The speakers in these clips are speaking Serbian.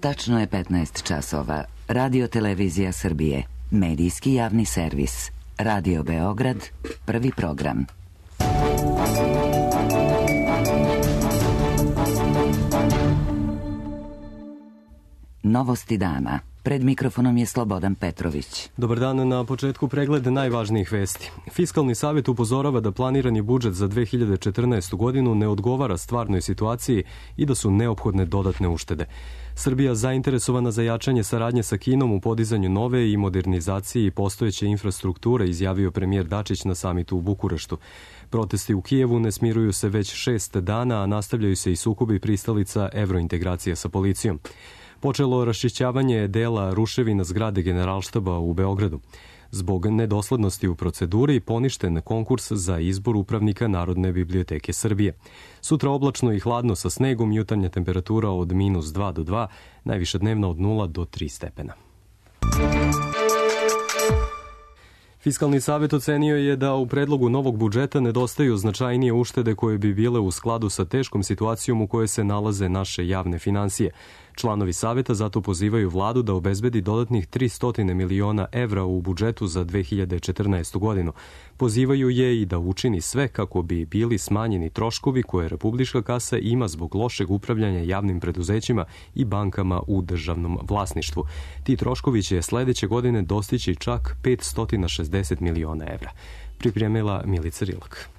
Tačno je 15 časova. Radio Televizija Srbije. Medijski javni servis. Radio Beograd. Prvi program. Novosti dana. Pred mikrofonom je Slobodan Petrović. Dobar dan, na početku pregled najvažnijih vesti. Fiskalni savjet upozorava da planirani budžet za 2014. godinu ne odgovara stvarnoj situaciji i da su neophodne dodatne uštede. Srbija zainteresovana za jačanje saradnje sa Kinom u podizanju nove i modernizaciji postojeće infrastrukture, izjavio premijer Dačić na samitu u Bukureštu. Protesti u Kijevu ne smiruju se već 6 dana, a nastavljaju se i sukobi pristalica evrointegracije sa policijom. Počelo raščišćavanje dela ruševina zgrade Generalštaba u Beogradu. Zbog nedoslednosti u proceduri poništen konkurs za izbor upravnika Narodne biblioteke Srbije. Sutra oblačno i hladno sa snegom, jutarnja temperatura od -2 do 2, najviša dnevna od 0 do 3 stepena. Fiskalni savjet ocenio je da u predlogu novog budžeta nedostaju značajnije uštede koje bi bile u skladu sa teškom situacijom u kojoj se nalaze naše javne finansije. Članovi savjeta zato pozivaju vladu da obezbedi dodatnih 300 miliona evra u budžetu za 2014. godinu. Pozivaju je i da učini sve kako bi bili smanjeni troškovi koje republička kasa ima zbog lošeg upravljanja javnim preduzećima i bankama u državnom vlasništvu. Ti troškovi će sledeće godine dostići čak 560 miliona evra. Pripremila Milica Rilak.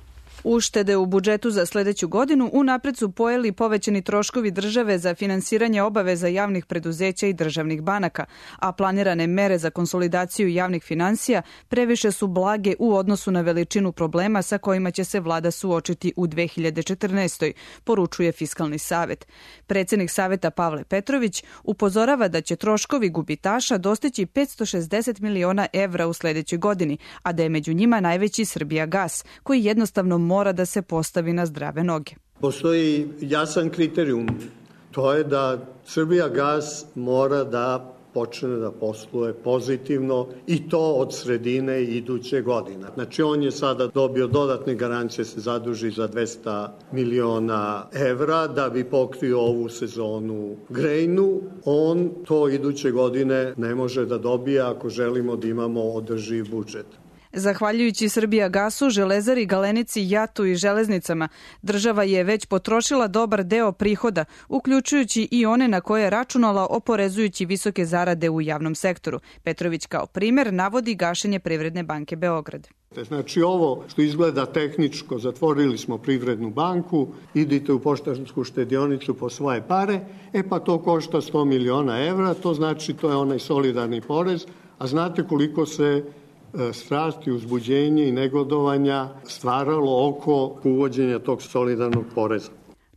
Uštede u budžetu za sledeću godinu unapred su pojeli povećani troškovi države za finansiranje obaveza javnih preduzeća i državnih banaka, a planirane mere za konsolidaciju javnih finansija previše su blage u odnosu na veličinu problema sa kojima će se vlada suočiti u 2014. poručuje Fiskalni savet. Predsednik saveta Pavle Petrović upozorava da će troškovi gubitaša dostići 560 miliona evra u sledećoj godini, a da je među njima najveći Srbijagas, koji jednostavno mora da se postavi na zdrave noge. Postoji jasan kriterijum, to je da Srbijagas mora da počne da posluje pozitivno i to od sredine iduće godine. Znači on je sada dobio dodatne garancije, se zaduži za 200 miliona evra da bi pokrio ovu sezonu grejnu. On to iduće godine ne može da dobije ako želimo da imamo održiv budžet. Zahvaljujući Srbijagasu, Železari, Galenici, Jatu i železnicama, država je već potrošila dobar deo prihoda, uključujući i one na koje je računala oporezujući visoke zarade u javnom sektoru. Petrović kao primer navodi gašenje Privredne banke Beograd. Znači ovo što izgleda tehničko, zatvorili smo Privrednu banku, idite u poštansku štedionicu po svoje pare, pa to košta 100 miliona evra, to znači to je onaj solidarni porez, a znate koliko se strasti, uzbuđenje i negodovanja stvaralo oko uvođenja tog solidarnog poreza.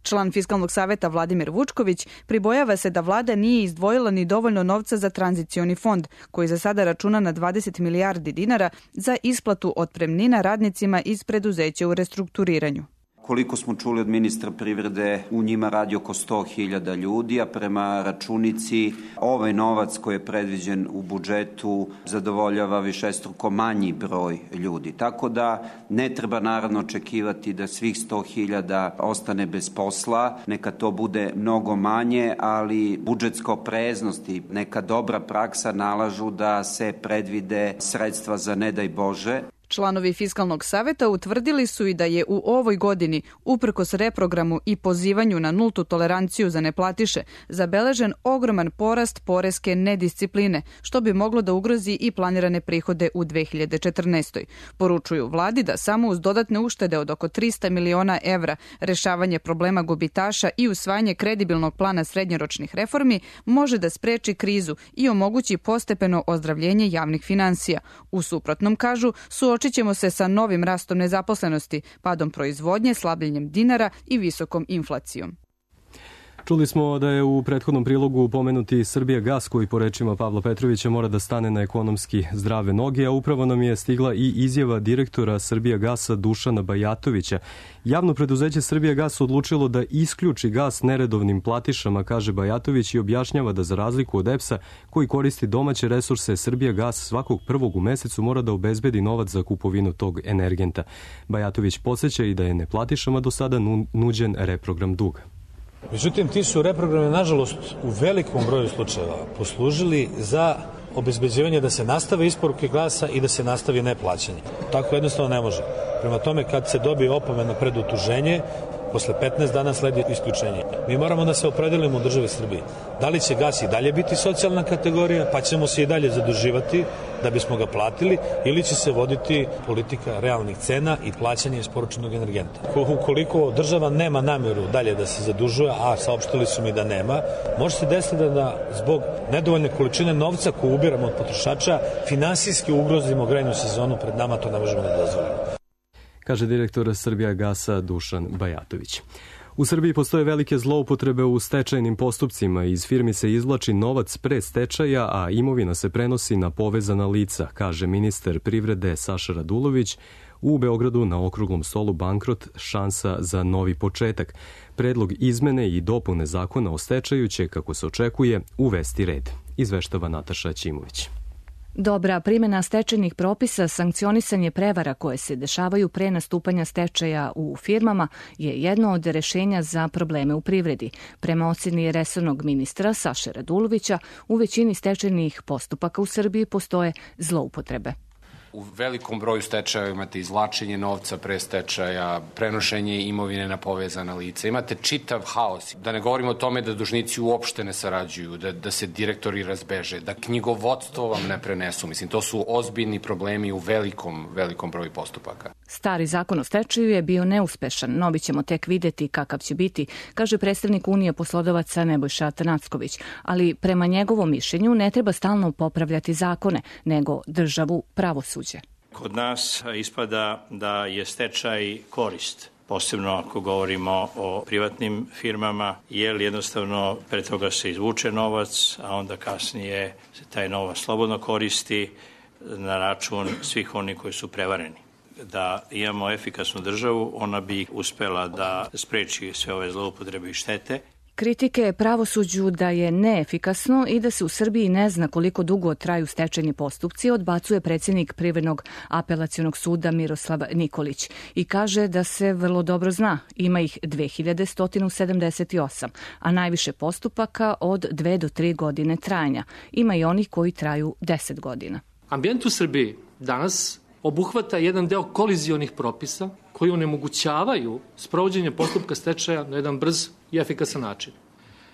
Član Fiskalnog saveta Vladimir Vučković pribojava se da vlada nije izdvojila ni dovoljno novca za tranzicioni fond, koji za sada računa na 20 milijardi dinara za isplatu otpremnina radnicima iz preduzeća u restrukturiranju. Koliko smo čuli od ministra privrede, u njima radi oko 100.000 ljudi, a prema računici ovaj novac koji je predviđen u budžetu zadovoljava višestruko manji broj ljudi. Tako da ne treba naravno očekivati da svih 100.000 ostane bez posla, neka to bude mnogo manje, ali budžetska opreznost i neka dobra praksa nalažu da se predvide sredstva za ne daj Bože. Članovi Fiskalnog saveta utvrdili su i da je u ovoj godini, uprkos reprogramu i pozivanju na nultu toleranciju za neplatiše, zabeležen ogroman porast poreske nediscipline, što bi moglo da ugrozi i planirane prihode u 2014. Poručuju vladi da samo uz dodatne uštede od oko 300 miliona evra, rešavanje problema gubitaša i usvajanje kredibilnog plana srednjoročnih reformi može da spreči krizu i omogući postepeno ozdravljenje javnih finansija. U suprotnom, kažu, suočit ćemo se sa novim rastom nezaposlenosti, padom proizvodnje, slabljenjem dinara i visokom inflacijom. Čuli smo da je u prethodnom prilogu pomenuti Srbijagas koji po rečima Pavla Petrovića mora da stane na ekonomski zdrave noge, a upravo nam je stigla i izjava direktora Srbijagasa Dušana Bajatovića. Javno preduzeće Srbijagas odlučilo da isključi gas neredovnim platišama, kaže Bajatović, i objašnjava da za razliku od EPS-a koji koristi domaće resurse, Srbijagas svakog prvog u mesecu mora da obezbedi novac za kupovinu tog energenta. Bajatović podsjeća i da je neplatišama do sada nuđen reprogram duga. Međutim, ti su reprogrami, nažalost, u velikom broju slučajeva poslužili za obezbeđivanje da se nastave isporuke gasa i da se nastavi neplaćanje. Tako jednostavno ne može. Prema tome, kad se dobije opomena pred utuženje, posle 15 dana sledi isključenje. Mi moramo da se opredelimo u državi Srbiji. Da li će gas i dalje biti socijalna kategorija, pa ćemo se i dalje zaduživati da bismo ga platili, ili će se voditi politika realnih cena i plaćanja isporučenog energenta. Ukoliko država nema namjeru dalje da se zadužuje, a saopštili su mi da nema, može se desiti da zbog nedovoljne količine novca koju ubiramo od potrošača finansijski ugrozimo grejnu sezonu pred nama, to ne možemo da dozvolimo. Kaže direktor Srbijagasa Dušan Bajatović. U Srbiji postoje velike zloupotrebe u stečajnim postupcima. Iz firmi se izvlači novac pre stečaja, a imovina se prenosi na povezana lica, kaže ministar privrede Saša Radulović u Beogradu na okruglom stolu Bankrot, šansa za novi početak. Predlog izmene i dopune zakona o stečaju će, kako se očekuje, uvesti red. Izveštava Nataša Ćimović. Dobra primjena stečajnih propisa, sankcionisanje prevara koje se dešavaju pre nastupanja stečaja u firmama je jedno od rešenja za probleme u privredi. Prema oceni resornog ministra Saše Radulovića, u većini stečajnih postupaka u Srbiji postoje zloupotrebe. U velikom broju stečaja imate izvlačenje novca pre stečaja, prenošenje imovine na povezana lica. Imate čitav haos. Da ne govorimo o tome da dužnici uopšte ne sarađuju, da se direktori razbeže, da knjigovodstvo vam ne prenesu. Mislim, to su ozbiljni problemi u velikom broju postupaka. Stari zakon o stečaju je bio neuspešan. Novi ćemo tek videti kakav će biti, kaže predstavnik Unije poslodavaca Nebojša Atanacković. Ali prema njegovom mišljenju ne treba stalno popravljati zakone, nego državu pravosuđa. Kod nas ispada da je stečaj korist, posebno ako govorimo o privatnim firmama, jer jednostavno pre toga se izvuče novac, a onda kasnije se taj novac slobodno koristi na račun svih onih koji su prevareni. Da imamo efikasnu državu, ona bi uspela da spreči sve ove zloupotrebe i štete. Kritike pravosuđu da je neefikasno i da se u Srbiji ne zna koliko dugo traju stečajni postupci odbacuje predsjednik Privrednog apelacionog suda Miroslav Nikolić i kaže da se vrlo dobro zna. Ima ih 2178, a najviše postupaka od 2 do 3 godine trajanja. Ima i onih koji traju 10 godina. Ambijent u Srbiji danas obuhvata jedan deo kolizionih propisa koji onemogućavaju sprovođenje postupka stečaja na jedan brz i efikasan način.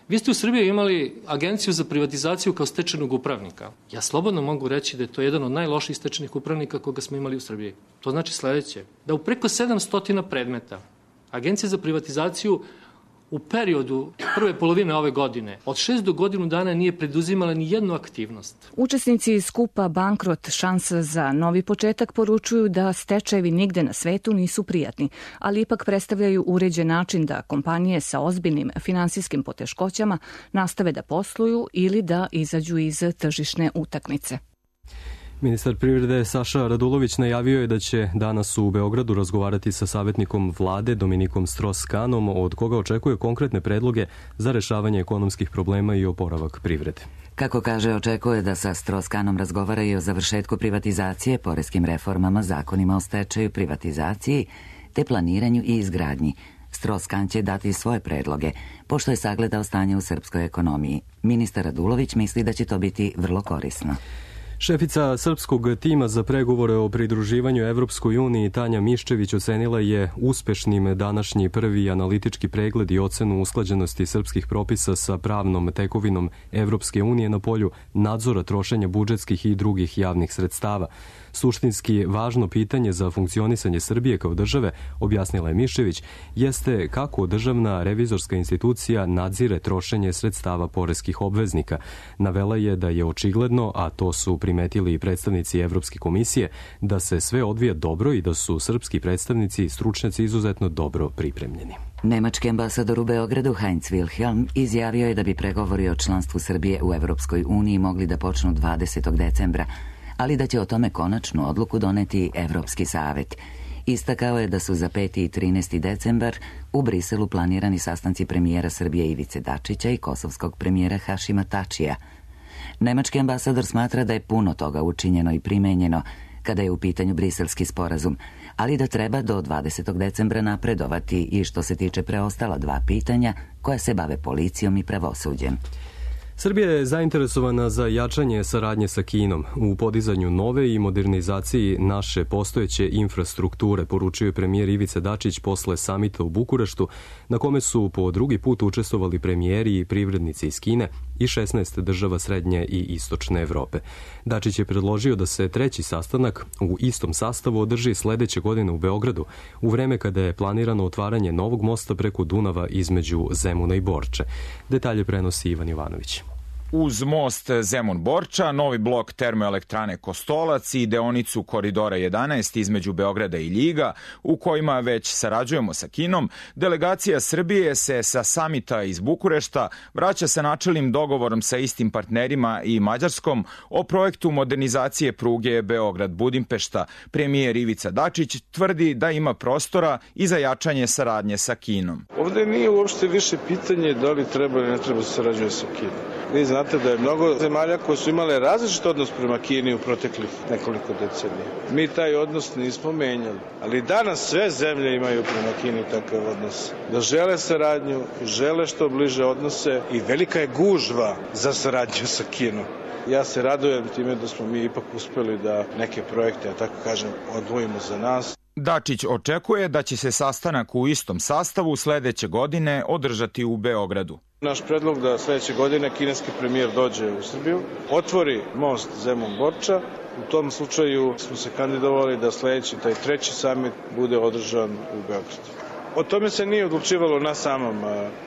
Vi ste u Srbiji imali Agenciju za privatizaciju kao stečajnog upravnika. Ja slobodno mogu reći da je to jedan od najlošijih stečajnih upravnika koga smo imali u Srbiji. To znači sledeće, da u preko 700 predmeta Agencija za privatizaciju u periodu prve polovine ove godine od 6 do godinu dana nije preduzimala ni jednu aktivnost. Učesnici skupa Bankrot, šansa za novi početak poručuju da stečajevi nigde na svetu nisu prijatni, ali ipak predstavljaju uređen način da kompanije sa ozbiljnim finansijskim poteškoćama nastave da posluju ili da izađu iz tržišne utakmice. Ministar privrede Saša Radulović najavio je da će danas u Beogradu razgovarati sa savjetnikom vlade Dominikom Stros-Kanom, od koga očekuje konkretne predloge za rešavanje ekonomskih problema i oporavak privrede. Kako kaže, očekuje da sa Stros-Kanom razgovara i o završetku privatizacije, poreskim reformama, zakonima o stečaju, privatizaciji, te planiranju i izgradnji. Stros-Kan će dati svoje predloge, pošto je sagledao stanje u srpskoj ekonomiji. Ministar Radulović misli da će to biti vrlo korisno. Šefica srpskog tima za pregovore o pridruživanju Evropskoj uniji Tanja Miščević ocenila je uspešnim današnji prvi analitički pregled i ocenu usklađenosti srpskih propisa sa pravnom tekovinom Evropske unije na polju nadzora trošenja budžetskih i drugih javnih sredstava. Suštinski važno pitanje za funkcionisanje Srbije kao države, objasnila je Miščević, jeste kako državna revizorska institucija nadzire trošenje sredstava poreskih obveznika. Navela je da je očigledno, a to su primetili i predstavnici Evropske komisije, da se sve odvija dobro i da su srpski predstavnici i stručnjaci izuzetno dobro pripremljeni. Nemački ambasador u Beogradu Heinz Wilhelm izjavio je da bi pregovori o članstvu Srbije u Evropskoj uniji mogli da počnu 20. decembra, ali da će o tome konačnu odluku doneti Evropski savet. Istakao je da su za 5. i 13. decembar u Briselu planirani sastanci premijera Srbije Ivice Dačića i kosovskog premijera Hašima Tačija. Nemački ambasador smatra da je puno toga učinjeno i primenjeno kada je u pitanju briselski sporazum, ali da treba do 20. decembra napredovati i što se tiče preostala 2 pitanja koja se bave policijom i pravosuđem. Srbija je zainteresovana za jačanje saradnje sa Kinom u podizanju nove i modernizaciji naše postojeće infrastrukture, poručio je premijer Ivica Dačić posle samita u Bukureštu, na kome su po drugi put učestvovali premijeri i privrednici iz Kine i 16 država Srednje i Istočne Evrope. Dačić je predložio da se 3. sastanak u istom sastavu održi sledeće godine u Beogradu, u vreme kada je planirano otvaranje novog mosta preko Dunava između Zemuna i Borče. Detalje prenosi Ivan Jovanović. Uz most Zemun-Borča, novi blok termoelektrane Kostolac i deonicu Koridora 11 između Beograda i Ljiga, u kojima već sarađujemo sa Kinom, delegacija Srbije se sa samita iz Bukurešta vraća sa načelnim dogovorom sa istim partnerima i Mađarskom o projektu modernizacije pruge Beograd-Budimpešta. Premijer Ivica Dačić tvrdi da ima prostora i za jačanje saradnje sa Kinom. Ovde nije uopšte više pitanje da li treba ili ne treba sarađuje sa Kinom. Vi znate da je mnogo zemalja koje su imale različit odnos prema Kini u proteklih nekoliko decenija. Mi taj odnos nismo menjali, ali danas sve zemlje imaju prema Kini takav odnos. Da žele saradnju, žele što bliže odnose i velika je gužva za saradnju sa Kinom. Ja se radujem time da smo mi ipak uspeli da neke projekte, ja tako kažem, odvojimo za nas. Dačić očekuje da će se sastanak u istom sastavu sledeće godine održati u Beogradu. Naš predlog da sledeće godine kineski premijer dođe u Srbiju, otvori most Zemun-Borča. U tom slučaju smo se kandidovali da sledeći, taj 3. samit, bude održan u Beogradu. O tome se nije odlučivalo na samom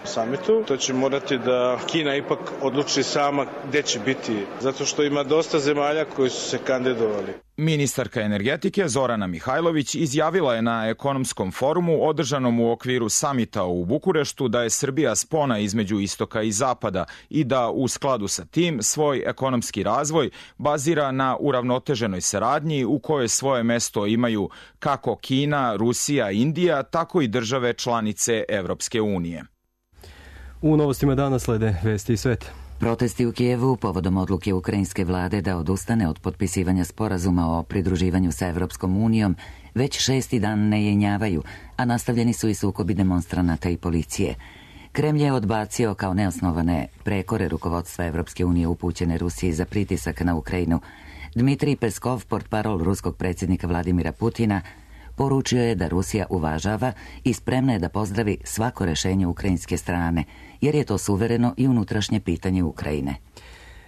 samitu. To će morati da Kina ipak odluči sama gde će biti, zato što ima dosta zemalja koji su se kandidovali. Ministarka energetike Zorana Mihajlović izjavila je na ekonomskom forumu održanom u okviru samita u Bukureštu da je Srbija spona između istoka i zapada i da u skladu sa tim svoj ekonomski razvoj bazira na uravnoteženoj saradnji u kojoj svoje mesto imaju kako Kina, Rusija, Indija, tako i države članice Evropske unije. U novostima dana slede vesti i sveta. Protesti u Kijevu povodom odluke ukrajinske vlade da odustane od potpisivanja sporazuma o pridruživanju sa Evropskom unijom već 6. dan ne jenjavaju, a nastavljeni su i sukobi demonstranata i policije. Kremlj je odbacio kao neosnovane prekore rukovodstva Evropske unije upućene Rusiji za pritisak na Ukrajinu. Dmitrij Peskov, portparol ruskog predsjednika Vladimira Putina, poručio je da Rusija uvažava i spremna je da pozdravi svako rešenje ukrajinske strane, jer je to suvereno i unutrašnje pitanje Ukrajine.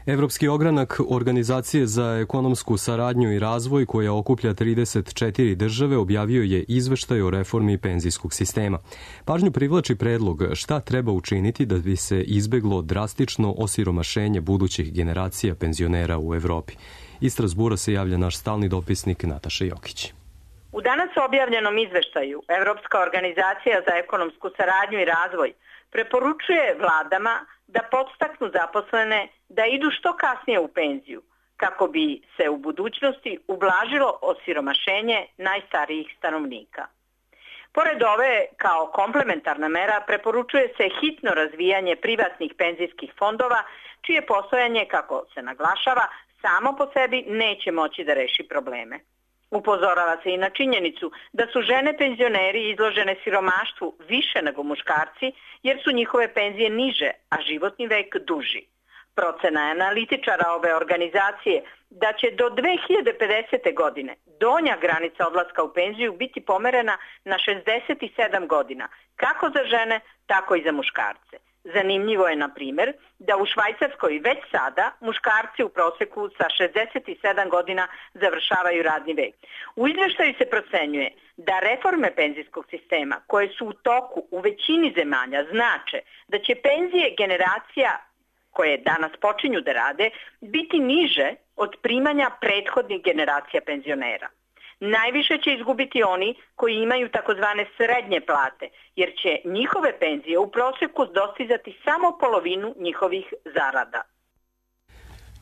Evropski ogranak Organizacije za ekonomsku saradnju i razvoj, koja okuplja 34 države, objavio je izveštaj o reformi penzijskog sistema. Pažnju privlači predlog šta treba učiniti da bi se izbeglo drastično osiromašenje budućih generacija penzionera u Evropi. Iz Strasbura se javlja naš stalni dopisnik Nataša Jokić. U danas objavljenom izveštaju Evropska organizacija za ekonomsku saradnju i razvoj preporučuje vladama da podstaknu zaposlene da idu što kasnije u penziju, kako bi se u budućnosti ublažilo osiromašenje najstarijih stanovnika. Pored ove, kao komplementarna mera, preporučuje se hitno razvijanje privatnih penzijskih fondova, čije postojanje, kako se naglašava, samo po sebi neće moći da reši probleme. Upozorava se i na činjenicu da su žene penzioneri izložene siromaštvu više nego muškarci, jer su njihove penzije niže, a životni vek duži. Procena je analitičara ove organizacije da će do 2050. godine donja granica odlaska u penziju biti pomerena na 67 godina, kako za žene, tako i za muškarce. Zanimljivo je, na primjer, da u Švajcarskoj već sada muškarci u proseku sa 67 godina završavaju radni vek. U izveštaju se procenjuje da reforme penzijskog sistema, koje su u toku u većini zemalja, znače da će penzije generacija koje danas počinju da rade biti niže od primanja prethodnih generacija penzionera. Najviše će izgubiti oni koji imaju takozvane srednje plate, jer će njihove penzije u proseku dostizati samo polovinu njihovih zarada.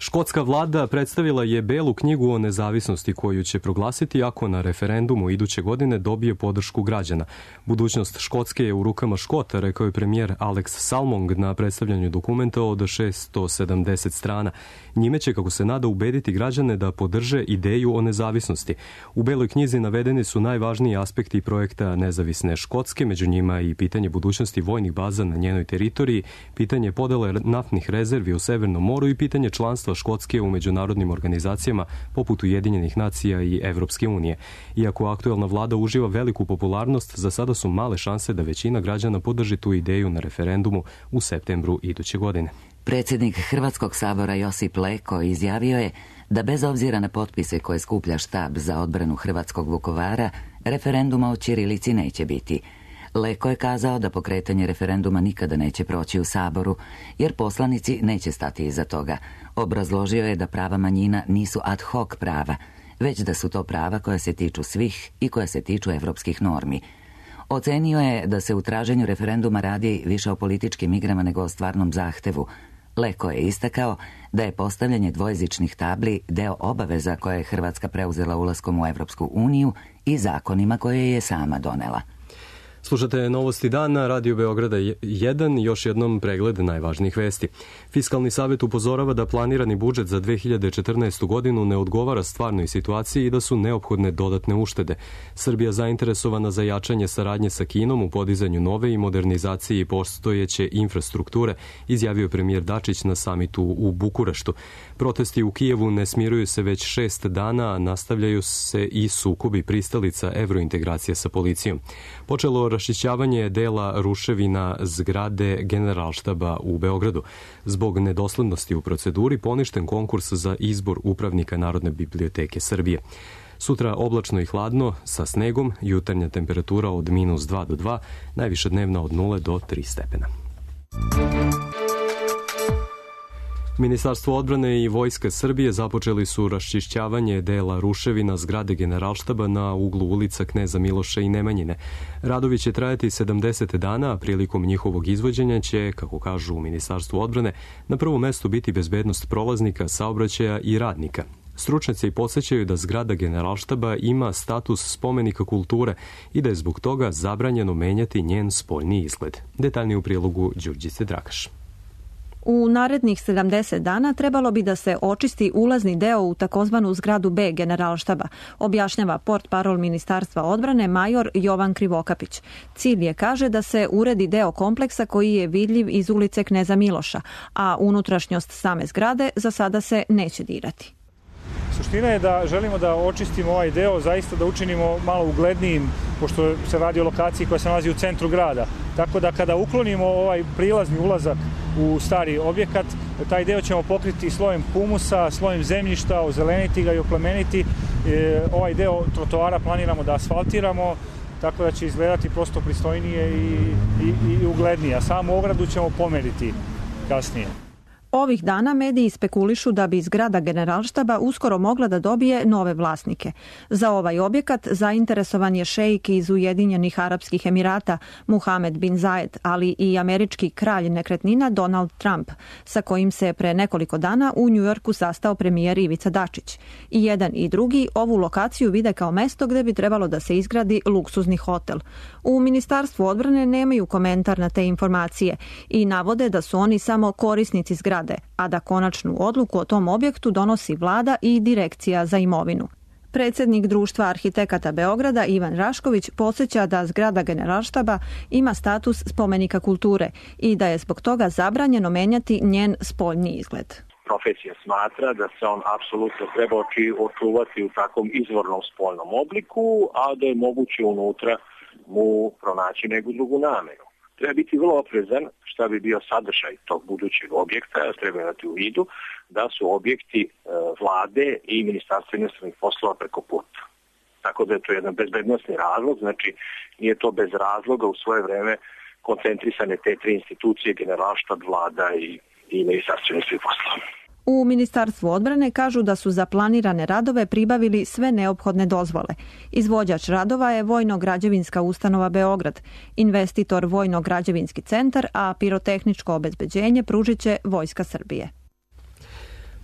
Škotska vlada predstavila je belu knjigu o nezavisnosti koju će proglasiti ako na referendumu iduće godine dobije podršku građana. Budućnost Škotske je u rukama Škota, rekao je premijer Alex Salmond na predstavljanju dokumenta od 670 strana. Njime će, kako se nada, ubediti građane da podrže ideju o nezavisnosti. U beloj knjizi navedeni su najvažniji aspekti projekta nezavisne Škotske, među njima i pitanje budućnosti vojnih baza na njenoj teritoriji, pitanje podele naftnih rezervi u Severnom moru i pitanje članstva Škotske u međunarodnim organizacijama poput Ujedinjenih nacija i Evropske unije. Iako aktuelna vlada uživa veliku popularnost, za sada su male šanse da većina građana podrži tu ideju na referendumu u septembru iduće godine. Predsjednik Hrvatskog sabora Josip Leko izjavio je da bez obzira na potpise koje skuplja štab za odbranu hrvatskog Vukovara, referenduma o ćirilici neće biti. Leko je kazao da pokretanje referenduma nikada neće proći u Saboru, jer poslanici neće stati iza toga. Obrazložio je da prava manjina nisu ad hoc prava, već da su to prava koja se tiču svih i koja se tiču evropskih normi. Ocenio je da se u traženju referenduma radi više o političkim igrama nego o stvarnom zahtevu. Leko je istakao da je postavljanje dvojezičnih tabli deo obaveza koje je Hrvatska preuzela ulaskom u Evropsku uniju i zakonima koje je sama donela. Slušate Novosti dana, Radio Beograda 1, još jednom pregled najvažnijih vesti. Fiskalni savjet upozorava da planirani budžet za 2014. godinu ne odgovara stvarnoj situaciji i da su neophodne dodatne uštede. Srbija zainteresovana za jačanje saradnje sa Kinom u podizanju nove i modernizaciji postojeće infrastrukture, izjavio premijer Dačić na samitu u Bukureštu. Protesti u Kijevu ne smiruju se već 6 dana, a nastavljaju se i sukobi pristalica evrointegracije sa policijom. Počelo raščišćavanje dela ruševina zgrade Generalštaba u Beogradu. Zbog nedoslednosti u proceduri poništen konkurs za izbor upravnika Narodne biblioteke Srbije. Sutra oblačno i hladno sa snegom, jutarnja temperatura od -2 do 2, najviša dnevna od 0 do 3 stepena. Ministarstvo odbrane i Vojska Srbije započeli su raščišćavanje dela ruševina zgrade Generalštaba na uglu ulica Kneza Miloša i Nemanjine. Radovi će trajati 70 dana, a prilikom njihovog izvođenja će, kako kažu u Ministarstvu odbrane, na prvom mestu biti bezbednost prolaznika, saobraćaja i radnika. Stručnjaci podsjećaju da zgrada Generalštaba ima status spomenika kulture i da je zbog toga zabranjeno menjati njen spoljni izgled. Detaljnije u prilogu Đurđice Drakaš. U narednih 70 dana trebalo bi da se očisti ulazni deo u takozvanu zgradu B Generalštaba, objašnjava portparol Ministarstva odbrane major Jovan Krivokapić. Cilj je, kaže, da se uredi deo kompleksa koji je vidljiv iz ulice Kneza Miloša, a unutrašnjost same zgrade za sada se neće dirati. Suština je da želimo da očistimo ovaj deo, zaista da učinimo malo uglednijim, pošto se radi o lokaciji koja se nalazi u centru grada. Tako da kada uklonimo ovaj prilazni ulazak u stari objekat, taj deo ćemo pokriti slojem humusa, slojem zemljišta, ozeleniti ga i oplemeniti. Ovaj deo trotoara planiramo da asfaltiramo, tako da će izgledati prosto pristojnije i uglednije. A samu ogradu ćemo pomeriti kasnije. Ovih dana mediji spekulišu da bi zgrada Generalštaba uskoro mogla da dobije nove vlasnike. Za ovaj objekat zainteresovan je šeik iz Ujedinjenih Arapskih Emirata Muhamed bin Zayed, ali i američki kralj nekretnina Donald Trump, sa kojim se pre nekoliko dana u Njujorku sastao premijer Ivica Dačić. I jedan i drugi ovu lokaciju vide kao mesto gde bi trebalo da se izgradi luksuzni hotel. U Ministarstvu odbrane nemaju komentar na te informacije i navode da su oni samo korisnici zgrade, a da konačnu odluku o tom objektu donosi vlada i direkcija za imovinu. Predsjednik Društva arhitekata Beograda Ivan Rašković podsjeća da zgrada Generalštaba ima status spomenika kulture i da je zbog toga zabranjeno menjati njen spoljni izgled. Profesija smatra da se on apsolutno treba očuvati u takvom izvornom spoljnom obliku, a da je moguće unutra mu pronaći neku drugu namenu. Treba biti vrlo oprezan šta bi bio sadržaj tog budućeg objekta, treba imati u vidu da su objekti vlade i Ministarstva inostranih poslova preko puta. Tako da je to jedan bezbednosni razlog, znači nije to bez razloga u svoje vreme koncentrisane te tri institucije, Generalštab, vlada i Ministarstvo inostranih poslova. U Ministarstvu odbrane kažu da su za planirane radove pribavili sve neophodne dozvole. Izvođač radova je Vojno-građevinska ustanova Beograd, investitor Vojno-građevinski centar, a pirotehničko obezbeđenje pružit će Vojska Srbije.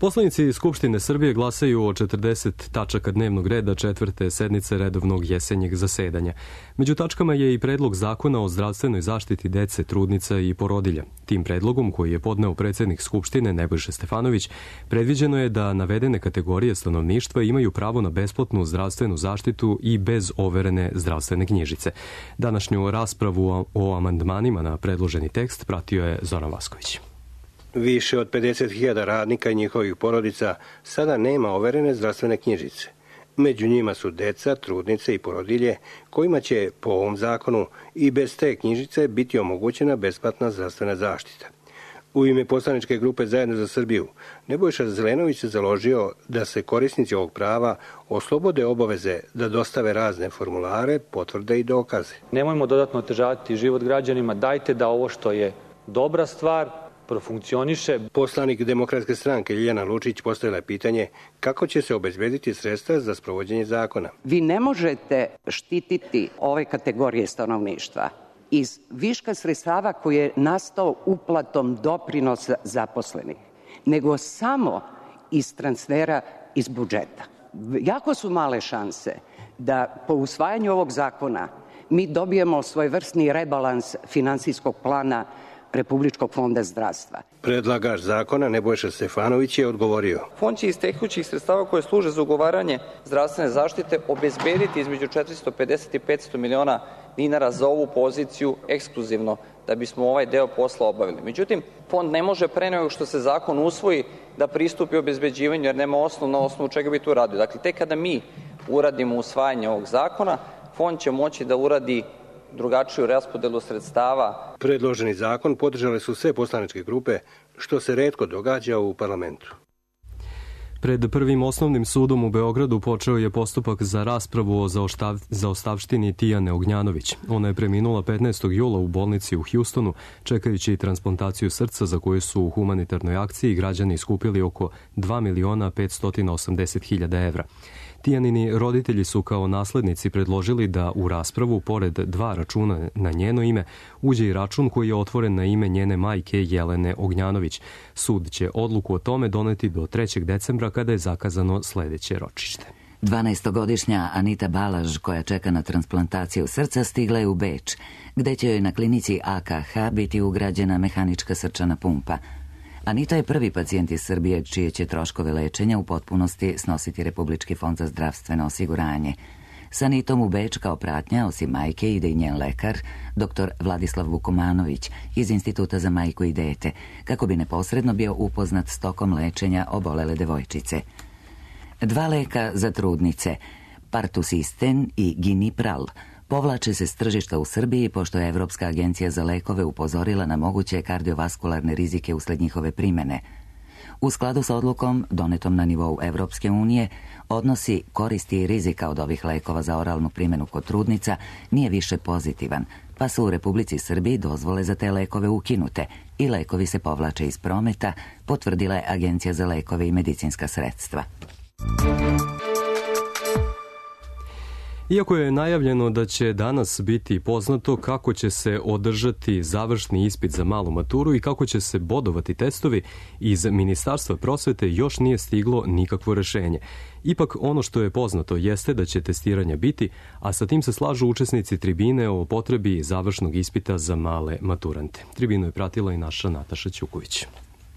Poslanici Skupštine Srbije glasaju o 40 tačaka dnevnog reda 4. sednice redovnog jesenjeg zasedanja. Među tačkama je i predlog zakona o zdravstvenoj zaštiti dece, trudnica i porodilja. Tim predlogom, koji je podneo predsjednik Skupštine Nebojša Stefanović, predviđeno je da navedene kategorije stanovništva imaju pravo na besplatnu zdravstvenu zaštitu i bez overene zdravstvene knjižice. Današnju raspravu o amandmanima na predloženi tekst pratio je Zoran Vasković. Više od 50.000 radnika i njihovih porodica sada nema overene zdravstvene knjižice. Među njima su deca, trudnice i porodilje, kojima će po ovom zakonu i bez te knjižice biti omogućena besplatna zdravstvena zaštita. U ime poslaničke grupe Zajedno za Srbiju, Nebojša Zelenović se založio da se korisnici ovog prava oslobode obaveze da dostave razne formulare, potvrde i dokaze. Nemojmo dodatno otežavati život građanima, dajte da ovo što je dobra stvar profunkcioniše. Poslanik Demokratske stranke Ljiljana Lučić postavila je pitanje kako će se obezbediti sredstva za sprovođenje zakona. Vi ne možete štititi ove kategorije stanovništva iz viška sredstava koji je nastao uplatom doprinosa zaposlenih, nego samo iz transfera iz budžeta. Jako su male šanse da po usvajanju ovog zakona mi dobijemo svojevrsni rebalans finansijskog plana Republičkog fonda zdravstva. Predlagač zakona Nebojša Stefanović je odgovorio. Fond će iz tekućih sredstava koje služe za ugovaranje zdravstvene zaštite obezbediti između 450 i 500 miliona dinara za ovu poziciju ekskluzivno da bismo ovaj deo posla obavili. Međutim, fond ne može pre nego što se zakon usvoji da pristupi obezbeđivanju jer nema na osnovu čega bi to uradio. Dakle, tek kada mi uradimo usvajanje ovog zakona, fond će moći da uradi drugačiju raspodelu sredstava. Predloženi zakon podržale su sve poslaničke grupe, što se retko događa u parlamentu. Pred Prvim osnovnim sudom u Beogradu počeo je postupak za raspravu o zaostavštini Tijane Ognjanović. Ona je preminula 15. jula u bolnici u Hjustonu, čekajući transplantaciju srca za koju su u humanitarnoj akciji građani skupili oko 2.580.000 evra. Tijanini roditelji su kao naslednici predložili da u raspravu, pored 2 računa na njeno ime, uđe i račun koji je otvoren na ime njene majke Jelene Ognjanović. Sud će odluku o tome doneti do 3. decembra kada je zakazano sledeće ročište. 12-godišnja Anita Balaž, koja čeka na transplantaciju srca, stigla je u Beč, gde će joj na klinici AKH biti ugrađena mehanička srčana pumpa. Anita je prvi pacijent iz Srbije čije će troškove lečenja u potpunosti snositi Republički fond za zdravstveno osiguranje. Sa Anitom u Beč kao pratnja, osim majke, ide i njen lekar, dr. Vladislav Vukomanović iz Instituta za majku i dete, kako bi neposredno bio upoznat s tokom lečenja obolele devojčice. 2 leka za trudnice, Partusisten i Ginipral, povlače se s tržišta u Srbiji pošto je Evropska agencija za lekove upozorila na moguće kardiovaskularne rizike usled njihove primene. U skladu sa odlukom, donetom na nivou Evropske unije, odnosi koristi i rizika od ovih lekova za oralnu primjenu kod trudnica nije više pozitivan, pa su u Republici Srbiji dozvole za te lekove ukinute i lekovi se povlače iz prometa, potvrdila je Agencija za lekove i medicinska sredstva. Iako je najavljeno da će danas biti poznato kako će se održati završni ispit za malu maturu i kako će se bodovati testovi, iz Ministarstva prosvete još nije stiglo nikakvo rešenje. Ipak ono što je poznato jeste da će testiranja biti, a sa tim se slažu učesnici tribine o potrebi završnog ispita za male maturante. Tribinu je pratila i naša Nataša Ćuković.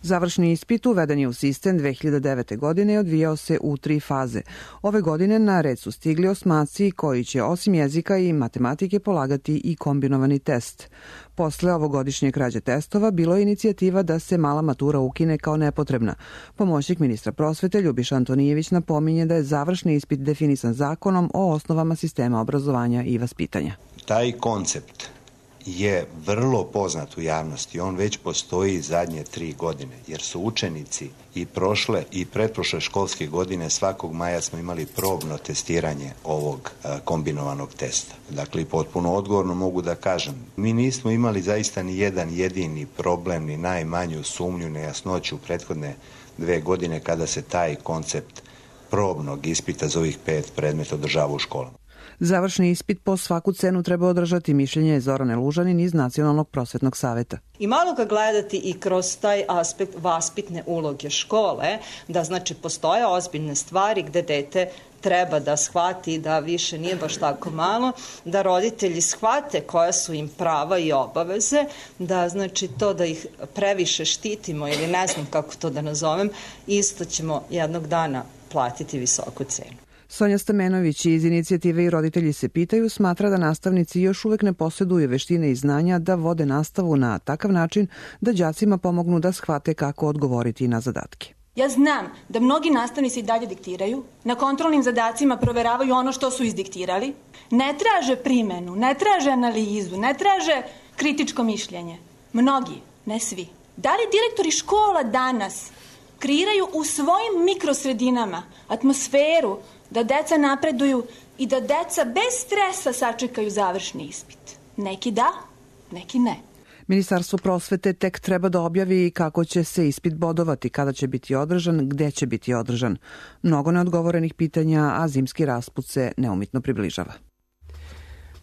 Završni ispit uveden je u sistem 2009. godine i odvijao se u 3 faze. Ove godine na red su stigli osmaci koji će osim jezika i matematike polagati i kombinovani test. Posle ovogodišnje krađe testova bilo je inicijativa da se mala matura ukine kao nepotrebna. Pomoćnik ministra prosvete Ljubiša Antonijević napominje da je završni ispit definisan zakonom o osnovama sistema obrazovanja i vaspitanja. Taj koncept je vrlo poznat u javnosti. On već postoji zadnje 3 godine, jer su učenici i prošle i pretprošle školske godine svakog maja smo imali probno testiranje ovog kombinovanog testa. Dakle, potpuno odgovorno mogu da kažem, mi nismo imali zaista ni jedan jedini problem, ni najmanju sumnju, nejasnoću u prethodne 2 godine kada se taj koncept probnog ispita za ovih 5 predmeta održava u školama. Završni ispit po svaku cenu treba održati, mišljenje je Zorane Lužanin iz Nacionalnog prosvetnog saveta. I malo ga gledati i kroz taj aspekt vaspitne uloge škole, da znači postoje ozbiljne stvari gde dete treba da shvati da više nije baš tako malo, da roditelji shvate koja su im prava i obaveze, da znači to da ih previše štitimo ili ne znam kako to da nazovem, isto ćemo jednog dana platiti visoku cenu. Sonja Stamenović iz inicijative I roditelji se pitaju smatra da nastavnici još uvek ne posjeduju veštine i znanja da vode nastavu na takav način da đacima pomognu da shvate kako odgovoriti na zadatke. Ja znam da mnogi nastavnici i dalje diktiraju, na kontrolnim zadacima proveravaju ono što su izdiktirali, ne traže primenu, ne traže analizu, ne traže kritičko mišljenje. Mnogi, ne svi. Da li direktori škola danas kreiraju u svojim mikrosredinama atmosferu da deca napreduju i da deca bez stresa sačekaju završni ispit? Neki da, neki ne. Ministarstvo prosvete tek treba da objavi kako će se ispit bodovati, kada će biti održan, gde će biti održan. Mnogo neodgovorenih pitanja, a zimski rasput se neumitno približava.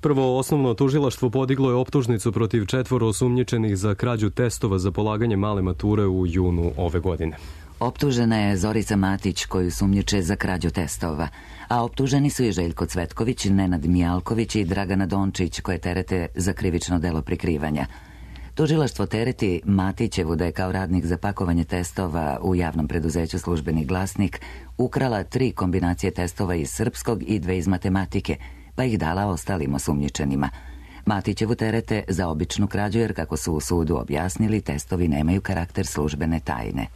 Prvo osnovno tužilaštvo podiglo je optužnicu protiv 4 osumnjičenih za krađu testova za polaganje male mature u junu ove godine. Optužena je Zorica Matić, koju sumnjiče za krađu testova, a optuženi su i Željko Cvetković, Nenad Mijalković i Dragana Dončić, koje terete za krivično delo prikrivanja. Tužilaštvo tereti Matićevu da je kao radnik za pakovanje testova u javnom preduzeću Službeni glasnik ukrala 3 kombinacije testova iz srpskog i 2 iz matematike, pa ih dala ostalim osumnjičenima. Matićevu terete za običnu krađu jer, kako su u sudu objasnili, testovi nemaju karakter službene tajne.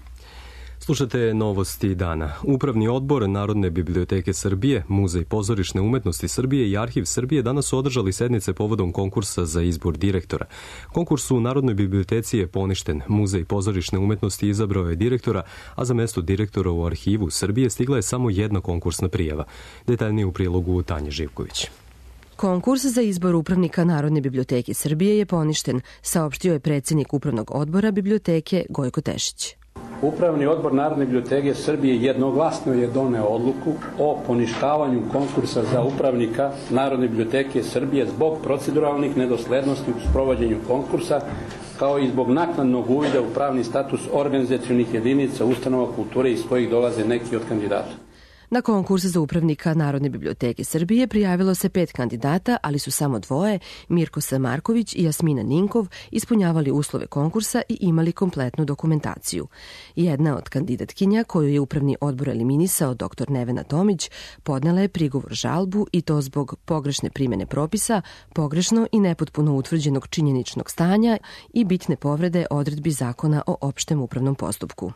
Slušate novosti dana. Upravni odbor Narodne biblioteke Srbije, Muzej pozorišne umetnosti Srbije i Arhiv Srbije danas su održali sednice povodom konkursa za izbor direktora. Konkurs u Narodnoj biblioteci je poništen. Muzej pozorišne umetnosti izabrao je direktora, a za mesto direktora u Arhivu Srbije stigla je samo jedna konkursna prijava. Detaljnije u prilogu Tanje Živković. Konkurs za izbor upravnika Narodne biblioteke Srbije je poništen, saopštio je predsjednik Upravnog odbora biblioteke Gojko Tešić. Upravni odbor Narodne biblioteke Srbije jednoglasno je doneo odluku o poništavanju konkursa za upravnika Narodne biblioteke Srbije zbog proceduralnih nedoslednosti u sprovođenju konkursa, kao i zbog naknadnog uvida u pravni status organizacionih jedinica ustanova kulture iz kojih dolaze neki od kandidata. Na konkurs za upravnika Narodne biblioteke Srbije prijavilo se 5 kandidata, ali su samo 2, Mirko Samarković i Jasmina Ninkov, ispunjavali uslove konkursa i imali kompletnu dokumentaciju. Jedna od kandidatkinja, koju je upravni odbor eliminisao, dr. Nevena Tomić, podnela je prigovor žalbu i to zbog pogrešne primene propisa, pogrešno i nepotpuno utvrđenog činjeničnog stanja i bitne povrede odredbi Zakona o opštem upravnom postupku.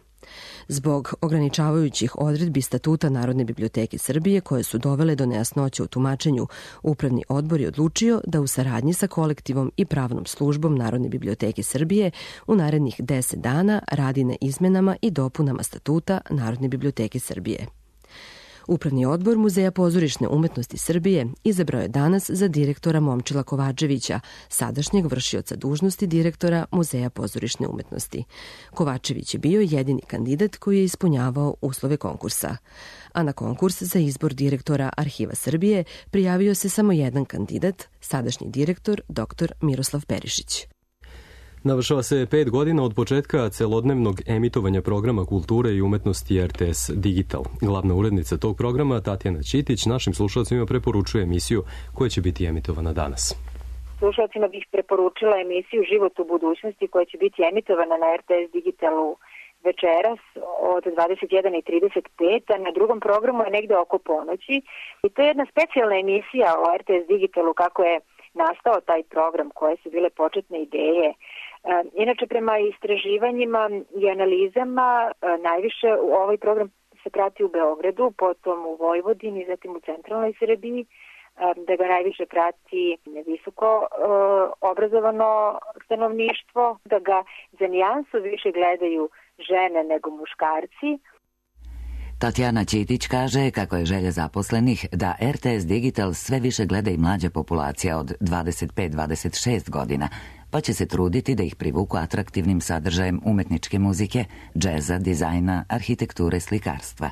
Zbog ograničavajućih odredbi Statuta Narodne biblioteke Srbije koje su dovele do nejasnoće u tumačenju, Upravni odbor je odlučio da u saradnji sa kolektivom i pravnom službom Narodne biblioteke Srbije u narednih 10 dana radi na izmenama i dopunama Statuta Narodne biblioteke Srbije. Upravni odbor Muzeja pozorišne umetnosti Srbije izabrao je danas za direktora Momčila Kovačevića, sadašnjeg vršioca dužnosti direktora Muzeja pozorišne umetnosti. Kovačević je bio jedini kandidat koji je ispunjavao uslove konkursa. A na konkurs za izbor direktora Arhiva Srbije prijavio se samo jedan kandidat, sadašnji direktor dr. Miroslav Perišić. Navršava se 5 godina od početka celodnevnog emitovanja programa kulture i umetnosti RTS Digital. Glavna urednica tog programa, Tatjana Ćitić, našim slušalcima preporučuje emisiju koja će biti emitovana danas. Slušalcima bih preporučila emisiju Život u budućnosti koja će biti emitovana na RTS Digitalu večeras od 21:35, a na drugom programu je negde oko ponoći. I to je jedna specijalna emisija o RTS Digitalu, kako je nastao taj program, koje su bile početne ideje. Inače, prema istraživanjima i analizama, najviše ovaj program se prati u Beogradu, potom u Vojvodini, zatim u centralnoj Srbiji, da ga najviše prati visoko obrazovano stanovništvo, da ga za nijansu više gledaju žene nego muškarci. Tatjana Ćitić kaže kako je želja zaposlenih da RTS Digital sve više gleda i mlađa populacija od 25-26 godina, pa će se truditi da ih privuku atraktivnim sadržajem umetničke muzike, džeza, dizajna, arhitekture, slikarstva.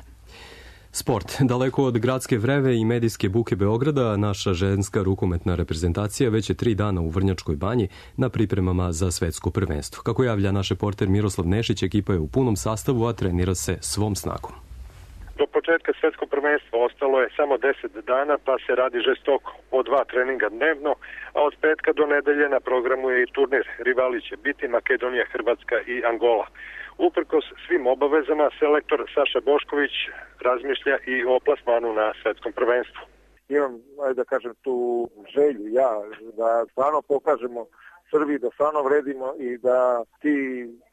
Sport. Daleko od gradske vreve i medijske buke Beograda, naša ženska rukometna reprezentacija već je 3 dana u Vrnjačkoj banji na pripremama za svetsko prvenstvo. Kako javlja naš reporter Miroslav Nešić, ekipa je u punom sastavu, a trenira se svom snagom. Do početka svetskog prvenstva ostalo je samo 10 dana, pa se radi žestoko po 2 treninga dnevno, a od petka do nedelje na programu je i turnir. Rivali će biti Makedonija, Hrvatska i Angola. Uprkos svim obavezama, selektor Saša Bošković razmišlja i o plasmanu na svetskom prvenstvu. Imam, ajde da kažem, tu želju da stvarno pokažemo Srbiji, da stvarno vredimo i da ti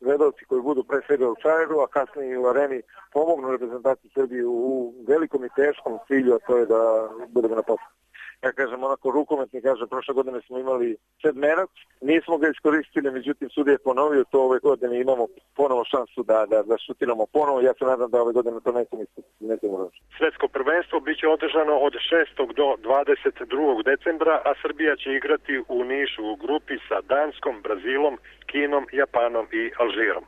gledalci koji budu pre svega u Čajeru, a kasnije i u Areni, pomognu reprezentaciji Srbije u velikom i teškom cilju, a to je da budemo na poslu. Ja kažem, onako rukometni, kažem, prošle godine smo imali sedmerac, nismo ga iskoristili, međutim sudija je ponovio to, ove godine imamo ponovo šansu da šutiramo ponovo, ja se nadam da ove godine to nećemo roći. Svetsko prvenstvo biće održano od 6. do 22. decembra, a Srbija će igrati u Nišu u grupi sa Danskom, Brazilom, Kinom, Japanom i Alžirom.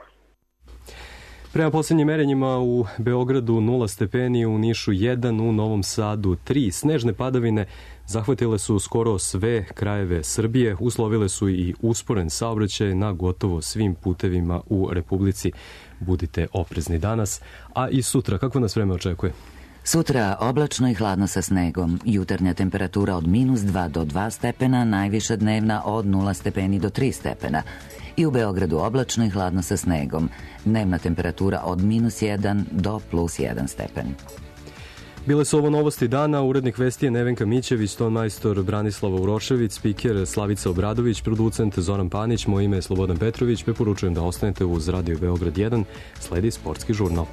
Prema posljednjim merenjima u Beogradu 0 stepeni, u Nišu 1, u Novom Sadu 3. Snežne padavine zahvatile su skoro sve krajeve Srbije, uslovile su i usporen saobraćaj na gotovo svim putevima u Republici. Budite oprezni danas, a i sutra. Kako nas vreme očekuje? Sutra oblačno i hladno sa snegom. Jutarnja temperatura od -2 do 2 stepena, najviša dnevna od 0 stepeni do 3 stepena. I u Beogradu oblačno i hladno sa snegom. Dnevna temperatura od -1 do +1 stepen. Bile su ovo novosti dana, urednik vesti je Nevenka Mićević, tonmajstor Branislava Urošević, spiker Slavica Obradović, producent Zoran Panić, moje ime je Slobodan Petrović, preporučujem da ostanete uz Radio Beograd 1, sledi sportski žurnal.